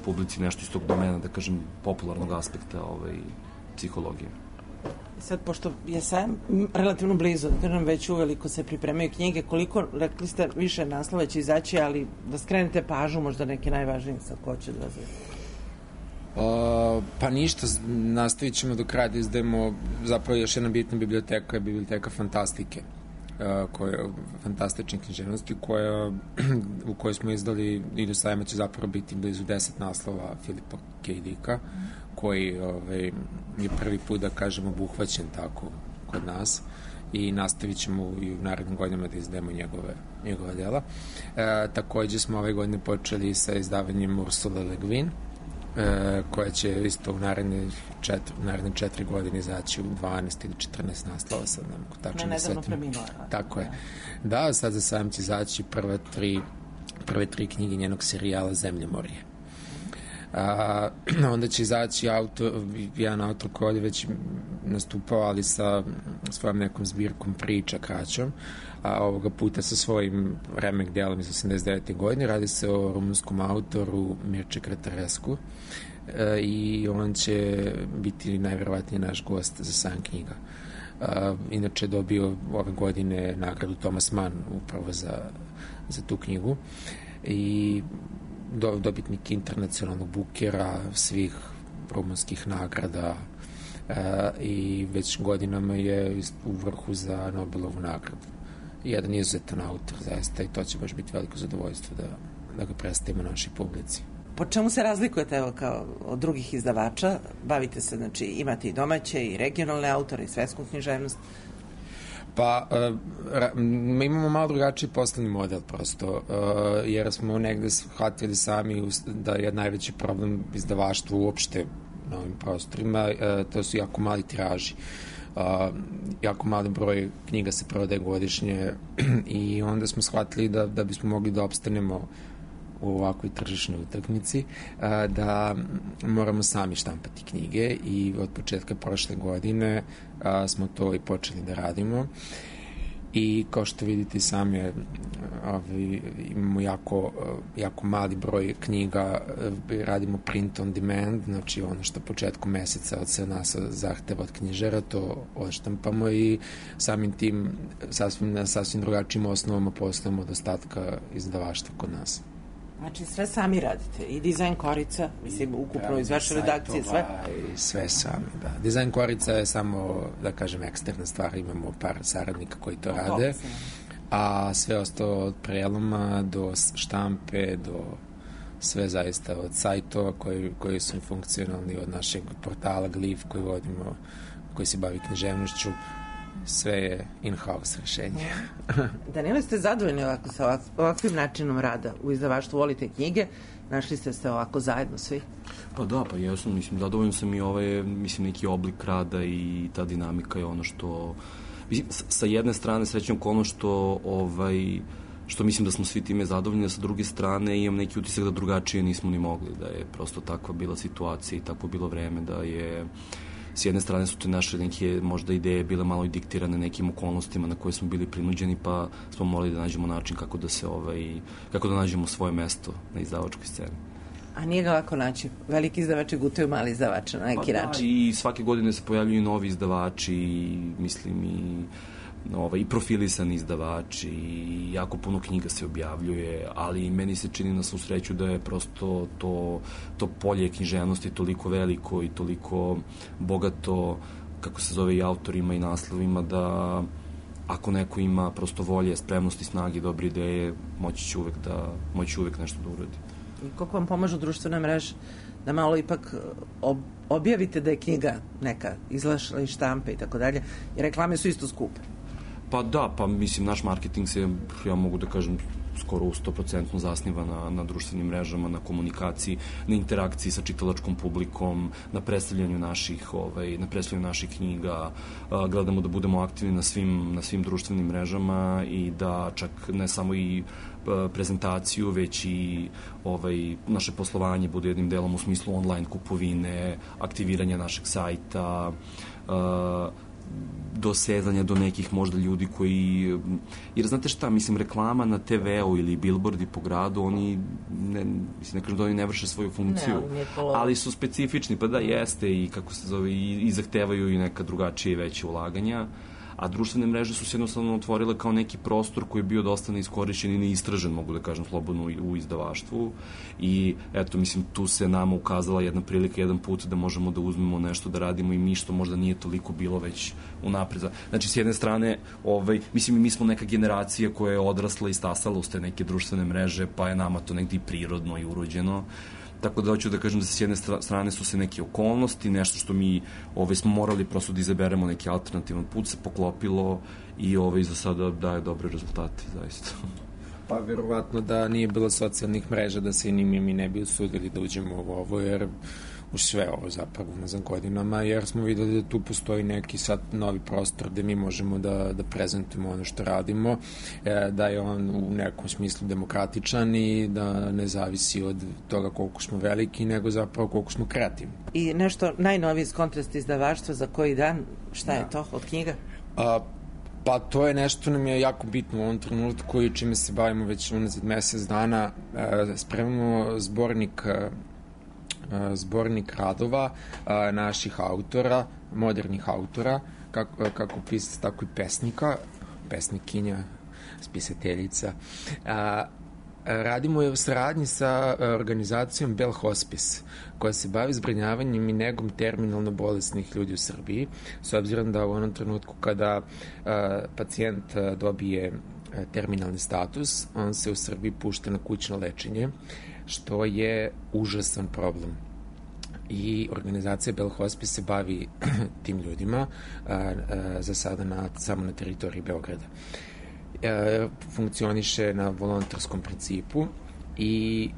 publici nešto iz tog domena, da kažem, popularnog aspekta psihologije. Sad, pošto je sajam relativno blizu, da kažem, već uveliko se pripremaju knjige, koliko, rekli ste, više naslova će izaći, ali da skrenete pažnju, možda neki najvažniji sad ko će da pa ništa, nastavit ćemo do kraja da izdajemo zapravo još jedna bitna biblioteka je biblioteka fantastike, fantastične književnosti u kojoj smo izdali i do sajma će zapravo biti blizu 10 naslova Filipa K. Dicka, koji je prvi put, da kažem, obuhvaćen tako kod nas i nastavit ćemo i u narednim godinama da izdajemo njegove dela. Takođe smo ove godine počeli sa izdavanjem Ursule Le Guin, koja će isto u naredne 4 godine izaći u 12 ili 14 naslova, sad ne mogu tačno da setim. Nedavno preminula. Tako je. Da, sad za sajam će izaći prve 3 knjige njenog serijala Zemljemorje. Onda će izaći jedan autor koji ovdje već nastupao, ali sa svojom nekom zbirkom priča kraćom, a ovoga puta sa svojim remek delom iz 89. godine. Radi se o rumunskom autoru Mirče Kratarescu i on će biti najverovatnije naš gost za sajam knjiga. Inače je dobio ove godine nagradu Thomas Mann upravo za tu knjigu i dobitnik internacionalnog Bukera, svih rumunskih nagrada i već godinama je u vrhu za Nobelovu nagradu. Jedan izuzetan autor, zaista, i to će baš biti veliko zadovoljstvo da ga predstavimo našoj publici. Po čemu se razlikujete, evo, kao od drugih izdavača? Bavite se, znači, imate i domaće i regionalne autore i svetsku književnost? Pa, mi imamo malo drugačiji poslovni model prosto, jer smo negde shvatili sami da je najveći problem izdavaštva uopšte na ovim prostorima, to su jako mali tiraži. Jako mali broj knjiga se prodaje godišnje i onda smo shvatili da bismo mogli da opstanemo u ovakvoj tržišnoj utakmici, da moramo sami štampati knjige i od početka prošle godine smo to i počeli da radimo i kao što vidite sami imamo jako mali broj knjiga, radimo print on demand, znači ono što početkom meseca od sve nas zahteva od knjižara, to odštampamo i samim tim sasvim drugačijim osnovama poslujemo od ostatka izdavaštva kod nas. Znači sve sami radite, i dizajn korica, mislim, ukupno iz vaše redakcije, sve? Sve sami, da. Dizajn korica je samo, da kažem, eksterna stvar, imamo par saradnika koji to rade, a sve ostalo od preloma do štampe, do sve zaista od sajtova koji su funkcionalni, od našeg portala Glif koji vodimo, koji se bavi književnošću, sve je in-house rešenje. Danilo, ste zadovoljni ovako sa ovakvim načinom rada u izdavaštvu? Volite knjige? Našli ste se ovako zajedno svi? Pa da, pa jesam, mislim, zadovoljno sam i mislim, neki oblik rada i ta dinamika je ono što, mislim, sa jedne strane srećem ono što mislim da smo svi time zadovoljni, a sa druge strane imam neki utisak da drugačije nismo ni mogli, da je prosto takva bila situacija i takvo bilo vreme, da je s jedne strane su te naše neke možda ideje bile malo i diktirane nekim okolnostima na koje smo bili prinuđeni, pa smo morali da nađemo način kako da nađemo svoje mesto na izdavačkoj sceni. A nije ga lako naći? Veliki izdavači gutaju mali izdavača na neki način. I svake godine se pojavljuju novi izdavači, mislim i profilisani izdavači, i jako puno knjiga se objavljuje, ali meni se čini na svu sreću da je prosto to polje književnosti toliko veliko i toliko bogato, kako se zove, i autorima i naslovima, da ako neko ima prosto volje, spremnosti, snage, dobre ideje, moći će uvek nešto da uradi. I koliko vam pomažu društvene mreže da malo ipak objavite da je knjiga neka izlašla iz štampe i tako dalje, jer reklame su isto skupe? Pa da, pa mislim, naš marketing se, ja mogu da kažem, skoro 100% zasniva na društvenim mrežama, na komunikaciji, na interakciji sa čitalačkom publikom, na predstavljanju naših knjiga. Gledamo da budemo aktivni na svim društvenim mrežama i da čak ne samo i prezentaciju, već i naše poslovanje bude jednim delom u smislu online kupovine, aktiviranja našeg sajta, dosezanja do nekih možda ljudi koji... Jer znate šta, mislim, reklama na TV-u ili billboardi po gradu, oni, ne kažem da oni ne vrše svoju funkciju, ali su specifični, pa da jeste i kako se zove, i zahtevaju i neka drugačije i veće ulaganja, a društvene mreže su se jednostavno otvorile kao neki prostor koji je bio dosta neiskorišćen i neistražen, mogu da kažem slobodno, u izdavaštvu. I eto, mislim, tu se nama ukazala jedna prilika, jedan put da možemo da uzmemo nešto da radimo i mi što možda nije toliko bilo već unapred. Znači, s jedne strane, mislim, mi smo neka generacija koja je odrasla i stasala uz te neke društvene mreže, pa je nama to negdje i prirodno i urođeno. Tako da hoću da kažem da se s jedne strane su se neke okolnosti, nešto što mi smo morali prosto da izaberemo neki alternativan put, se poklopilo i za sada daje dobre rezultate, zaista. Pa verovatno da nije bilo socijalnih mreža, da se ni mi ne bi usudili da uđemo u ovo, jer u sve ovo zapravo nazam godinama, jer smo videli da tu postoji neki sad novi prostor gde mi možemo da prezentujemo ono što radimo, da je on u nekom smislu demokratičan i da ne zavisi od toga koliko smo veliki, nego zapravo koliko smo kreativni. I nešto najnoviji iz Kontrast izdavaštva za koji dan, šta je to od knjiga? Pa to je nešto nam je jako bitno u ovom trenutku i čime se bavimo već unazad mesec dana. Spremamo zbornik radova naših autora, modernih autora, kako pisaca, tako i pesnikinja, spisateljica. Radimo je u saradnji sa organizacijom Bell Hospice, koja se bavi zbrinjavanjem i negom terminalno bolesnih ljudi u Srbiji, s obzirom da u onom trenutku kada pacijent dobije terminalni status, on se u Srbiji pušta na kućno lečenje, što je užasan problem. I organizacija Bell Hospice se bavi tim ljudima za sada samo na teritoriji Beograda. Funkcioniše na volontarskom principu i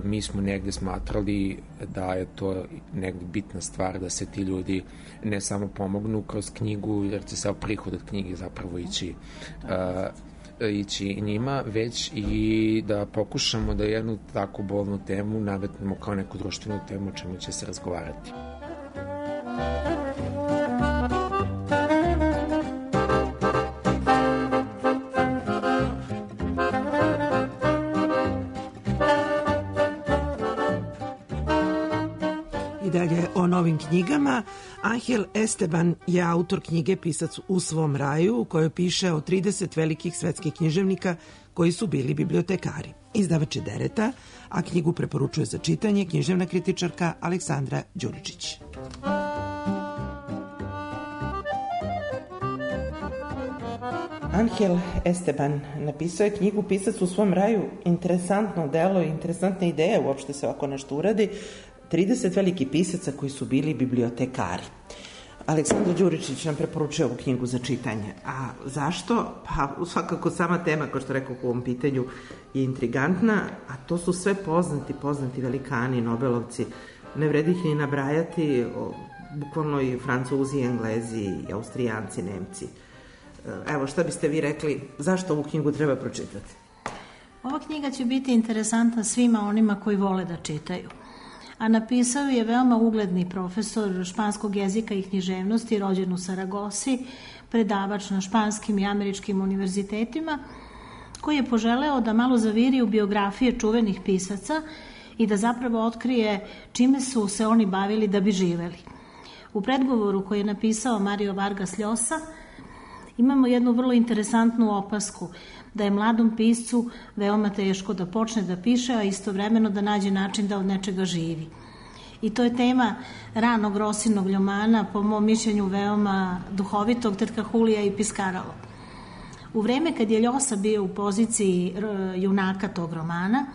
mi smo negde smatrali da je to negde bitna stvar da se ti ljudi ne samo pomognu kroz knjigu, jer će se prihod od knjige zapravo ići njima, već i da pokušamo da jednu tako bolnu temu nametnemo kao neku društvenu temu o čemu će se razgovarati. Dalje o novim knjigama. Angel Esteban je autor knjige Pisac u svom raju, u kojoj piše o 30 velikih svetskih književnika koji su bili bibliotekari. Izdavač je Dereta, a knjigu preporučuje za čitanje književna kritičarka Aleksandra Đuričić. Angel Esteban napisao je knjigu Pisac u svom raju. Interesantno delo i interesantna ideja uopšte se ovako nešto uradi. 30 velikih pisaca koji su bili bibliotekari. Aleksandra Đuričić nam preporučuje ovu knjigu za čitanje. A zašto? Pa svakako sama tema, kao što rekao u ovom pitanju, je intrigantna, a to su sve poznati velikani, Nobelovci. Ne vredi ih ni nabrajati, bukvalno i Francuzi, Englezi, i Austrijanci, Nemci. Evo, šta biste vi rekli, zašto ovu knjigu treba pročitati? Ova knjiga će biti interesantna svima onima koji vole da čitaju. A napisao je veoma ugledni profesor španskog jezika i književnosti, rođen u Saragosi, predavač na španskim i američkim univerzitetima, koji je poželeo da malo zaviri u biografije čuvenih pisaca i da zapravo otkrije čime su se oni bavili da bi živeli. U predgovoru koji je napisao Mario Vargas Llosa imamo jednu vrlo interesantnu opasku, da je mladom piscu veoma teško da počne da piše, a istovremeno da nađe način da od nečega živi. I to je tema ranog Rosinog romana, po mom mišljenju veoma duhovitog, Tetka Julija i Piskaralo. U vreme kad je Llosa bio u poziciji junaka tog romana,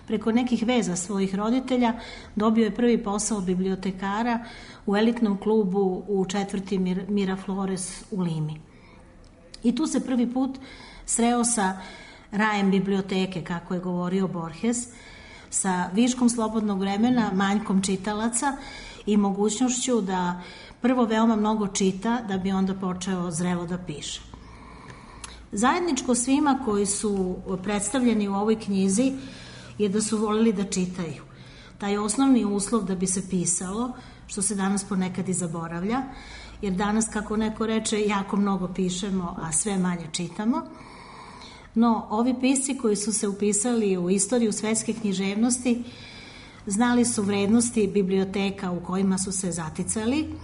preko nekih veza svojih roditelja dobio je prvi posao bibliotekara u elitnom klubu u četvrti Miraflores u Limi. I tu se prvi put sreo sa rajem biblioteke, kako je govorio Borges, sa viškom slobodnog vremena, manjkom čitalaca i mogućnošću da prvo veoma mnogo čita da bi onda počeo zrelo da piše. Zajedničko svima koji su predstavljeni u ovoj knjizi je da su voleli da čitaju. Taj osnovni uslov da bi se pisalo, što se danas ponekad i zaboravlja, jer danas, kako neko reče, jako mnogo pišemo, a sve manje čitamo. No, ovi pisci koji su se upisali u istoriju svetske književnosti znali su vrednosti biblioteka u kojima su se zaticali,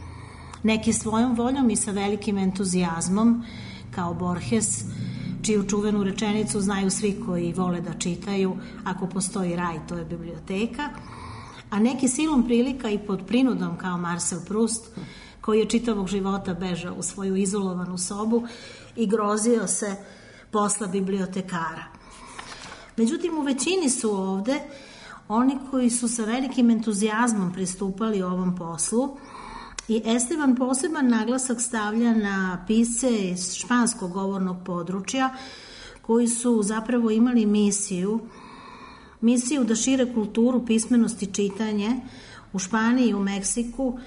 neki svojom voljom i sa velikim entuzijazmom, kao Borges, čiju čuvenu rečenicu znaju svi koji vole da čitaju, ako postoji raj, to je biblioteka, a neki silom prilika i pod prinudom, kao Marcel Proust, koji je čitavog života bežao u svoju izolovanu sobu i grozio se posla bibliotekara. Međutim, u većini su ovde oni koji su sa velikim entuzijazmom pristupali ovom poslu i Esteban poseban naglasak stavlja na pisce iz španskog govornog područja koji su zapravo imali misiju da šire kulturu, pismenost i čitanje u Španiji i u Meksiku,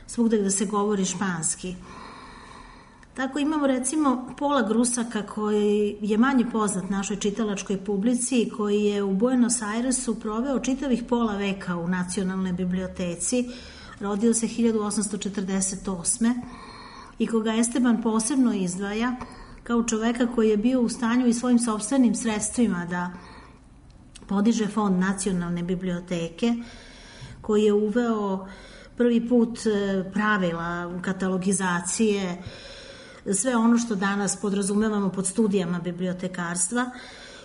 svugde gde se govori španski. Tako imamo recimo Paula Grusaka, koji je manje poznat našoj čitalačkoj publici, koji je u Buenos Airesu proveo čitavih pola veka u Nacionalnoj biblioteci, rodio se 1848. i koga Esteban posebno izdvaja kao čoveka koji je bio u stanju i svojim sopstvenim sredstvima da podiže fond Nacionalne biblioteke, koji je uveo prvi put pravila katalogizacije, sve ono što danas podrazumevamo pod studijama bibliotekarstva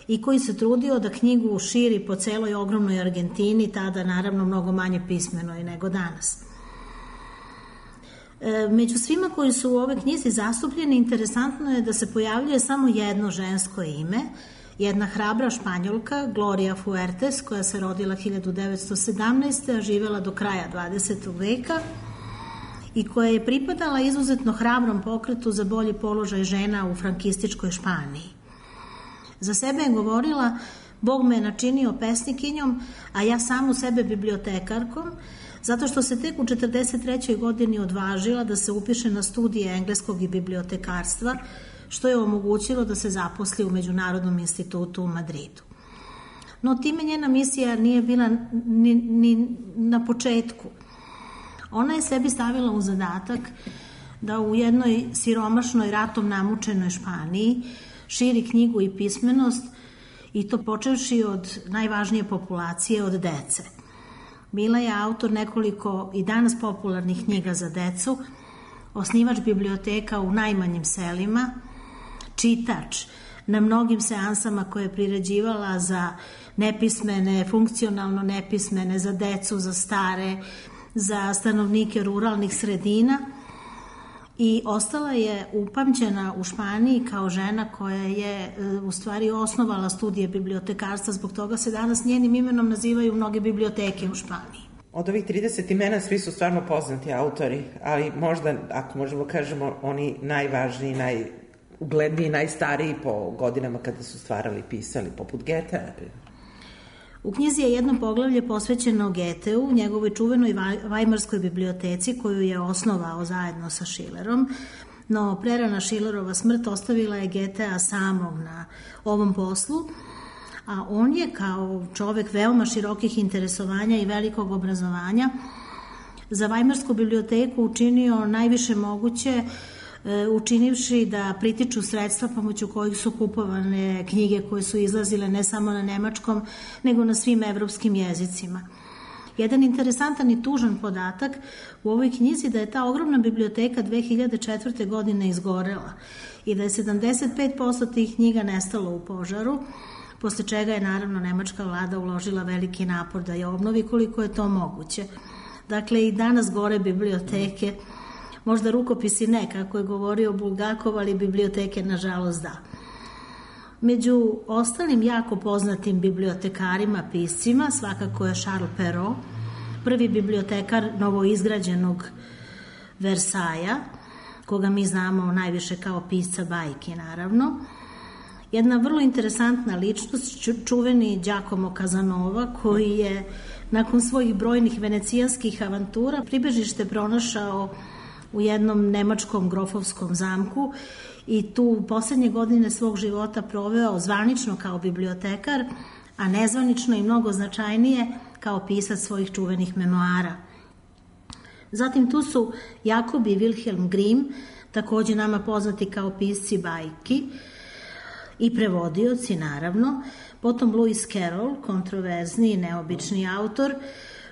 i koji se trudio da knjigu širi po celoj ogromnoj Argentini, tada naravno mnogo manje pismenoj nego danas. Među svima koji su u ove knjizi zastupljeni, interesantno je da se pojavljuje samo jedno žensko ime, jedna hrabra Španjolka, Gloria Fuertes, koja se rodila 1917. a živela do kraja 20. veka i koja je pripadala izuzetno hrabrom pokretu za bolji položaj žena u frankističkoj Španiji. Za sebe je govorila: Bog me je načinio pesnikinjom, a ja samu sebe bibliotekarkom, zato što se tek u 43. godini odvažila da se upiše na studije engleskog i bibliotekarstva, što je omogućilo da se zaposli u Međunarodnom institutu u Madridu. No time njena misija nije bila ni na početku. Ona je sebi stavila u zadatak da u jednoj siromašnoj, ratom namučenoj Španiji širi knjigu i pismenost, i to počevši od najvažnije populacije, od dece. Bila je autor nekoliko i danas popularnih knjiga za decu, osnivač biblioteka u najmanjim selima, čitač na mnogim seansama koje je priređivala za nepismene, funkcionalno nepismene, za decu, za stare, za stanovnike ruralnih sredina, i ostala je upamćena u Španiji kao žena koja je u stvari osnovala studije bibliotekarstva. Zbog toga se danas njenim imenom nazivaju mnoge biblioteke u Španiji. Od ovih 30 imena svi su stvarno poznati autori, ali možda, ako možemo kažemo, oni najvažniji, najugledniji, najstariji po godinama kada su stvarali i pisali, poput Goethea. U knjizi je jedno poglavlje posvećeno Goetheu, njegovoj čuvenoj Vajmarskoj biblioteci koju je osnovao zajedno sa Schillerom, no prerana Schillerova smrt ostavila je Goethea samog na ovom poslu, a on je kao čovek veoma širokih interesovanja i velikog obrazovanja za Vajmarsku biblioteku učinio najviše moguće, učinivši da pritiču sredstva pomoću kojih su kupovane knjige koje su izlazile ne samo na nemačkom, nego na svim evropskim jezicima. Jedan interesantan i tužan podatak u ovoj knjizi da je ta ogromna biblioteka 2004. godine izgorela i da je 75% tih knjiga nestalo u požaru, posle čega je naravno nemačka vlada uložila veliki napor da je obnovi koliko je to moguće. Dakle, i danas gore biblioteke, možda rukopisi ne, kako je govorio Bulgakov, ali biblioteke nažalost da. Među ostalim jako poznatim bibliotekarima, piscima, svakako je Charles Perrault, prvi bibliotekar novoizgrađenog Versaja, koga mi znamo najviše kao pisca bajki, naravno. jedna vrlo interesantna ličnost, čuveni Giacomo Casanova, koji je nakon svojih brojnih venecijanskih avantura pribežište pronašao u jednom nemačkom grofovskom zamku i tu poslednje godine svog života proveo zvanično kao bibliotekar, a nezvanično i mnogo značajnije kao pisac svojih čuvenih memoara. Zatim tu su Jakob i Wilhelm Grimm, takođe nama poznati kao pisci bajki i prevodioci, naravno. Potom Lewis Carroll, kontroverzni i neobični autor,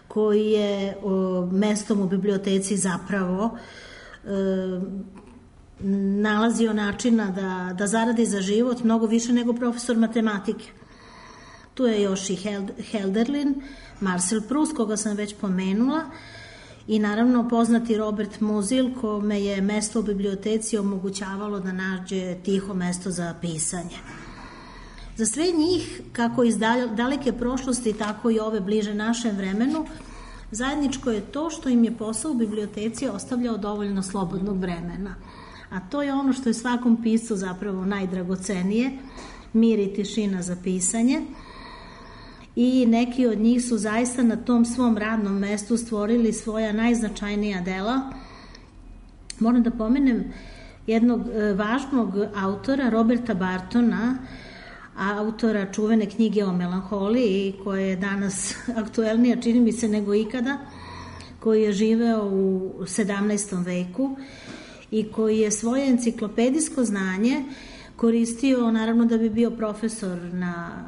koji je mestom u biblioteci zapravo nalazio načina da zaradi za život mnogo više nego profesor matematike. Tu je još i Hölderlin, Marcel Proust, koga sam već pomenula, i naravno poznati Robert Musil, kome je mesto u biblioteci omogućavalo da nađe tiho mesto za pisanje. Za sve njih, kako iz daleke prošlosti, tako i ove bliže našem vremenu, zajedničko je to što im je posao u biblioteci ostavljao dovoljno slobodnog vremena. A to je ono što je svakom piscu zapravo najdragocenije, mir i tišina za pisanje. I neki od njih su zaista na tom svom radnom mestu stvorili svoja najznačajnija dela. Moram da pomenem jednog važnog autora, Roberta Bartona, autora čuvene knjige o melanholiji, koja je danas aktuelnija, čini mi se, nego ikada, koji je živeo u 17. veku i koji je svoje enciklopedijsko znanje koristio, naravno, da bi bio profesor na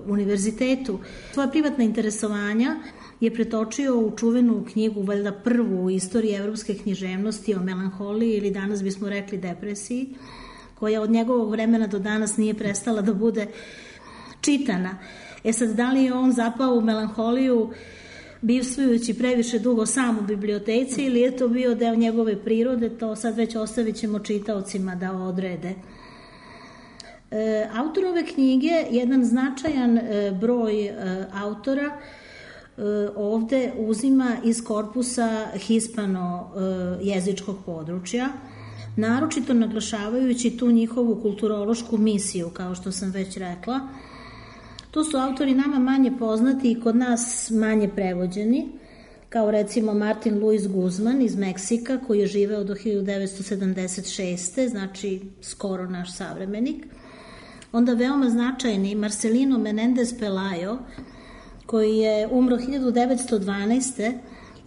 univerzitetu. Svoja privatna interesovanja je pretočio u čuvenu knjigu, valjda prvu u istoriji evropske književnosti o melanholiji, ili danas bismo rekli depresiji, koja od njegovog vremena do danas nije prestala da bude čitana. Sad, da li je on zapao u melanholiju bivstvujući previše dugo sam u biblioteci ili je to bio deo njegove prirode, to sad već ostavit ćemo čitaocima da odrede. Autor ove knjige, jedan značajan broj autora, ovde uzima iz korpusa hispano-jezičkog područja, naročito naglašavajući tu njihovu kulturološku misiju, kao što sam već rekla. To su autori nama manje poznati i kod nas manje prevođeni, kao recimo Martin Luis Guzman iz Meksika, koji je živeo do 1976. znači skoro naš savremenik. Onda veoma značajni Marcelino Menendez Pelayo, koji je umro 1912.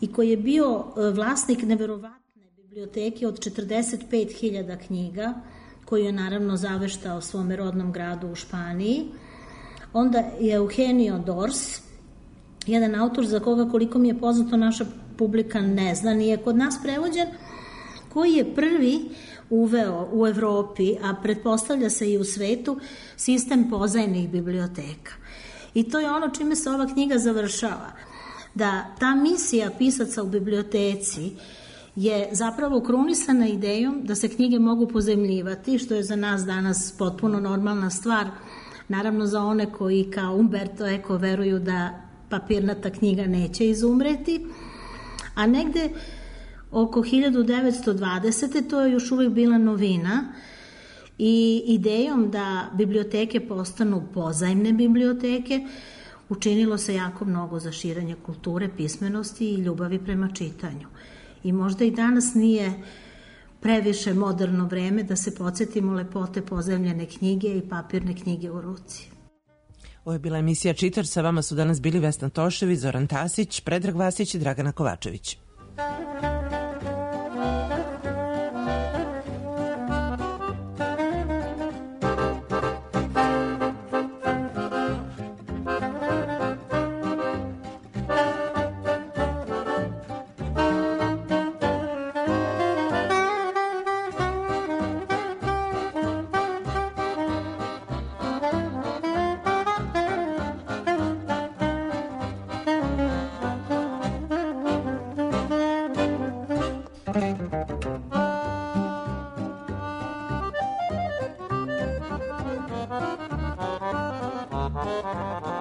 i koji je bio vlasnik neverovatne biblioteke od 45.000 knjiga, koju je naravno zaveštao svome rodnom gradu u Španiji. Onda je Eugenio Dors, jedan autor za koga, koliko mi je poznato, naša publika ne zna, nije kod nas prevođen, koji je prvi uveo u Evropi, a pretpostavlja se i u svetu, sistem pozajnih biblioteka. I to je ono čime se ova knjiga završava. Da ta misija pisaca u biblioteci je zapravo krunisana idejom da se knjige mogu pozajmljivati, što je za nas danas potpuno normalna stvar, naravno za one koji kao Umberto Eco veruju da papirnata knjiga neće izumreti, a negde oko 1920. to je još uvek bila novina i idejom da biblioteke postanu pozajmne biblioteke učinilo se jako mnogo za širenje kulture, pismenosti i ljubavi prema čitanju. I možda i danas nije previše moderno vreme da se podsjetimo lepote pozajmljene knjige i papirne knjige u ruci. Ovo je bila emisija Čitač, sa vama su danas bili Vesna Tošević, Zoran Tasić, Predrag Vasić i Dragana Kovačević. Thank you.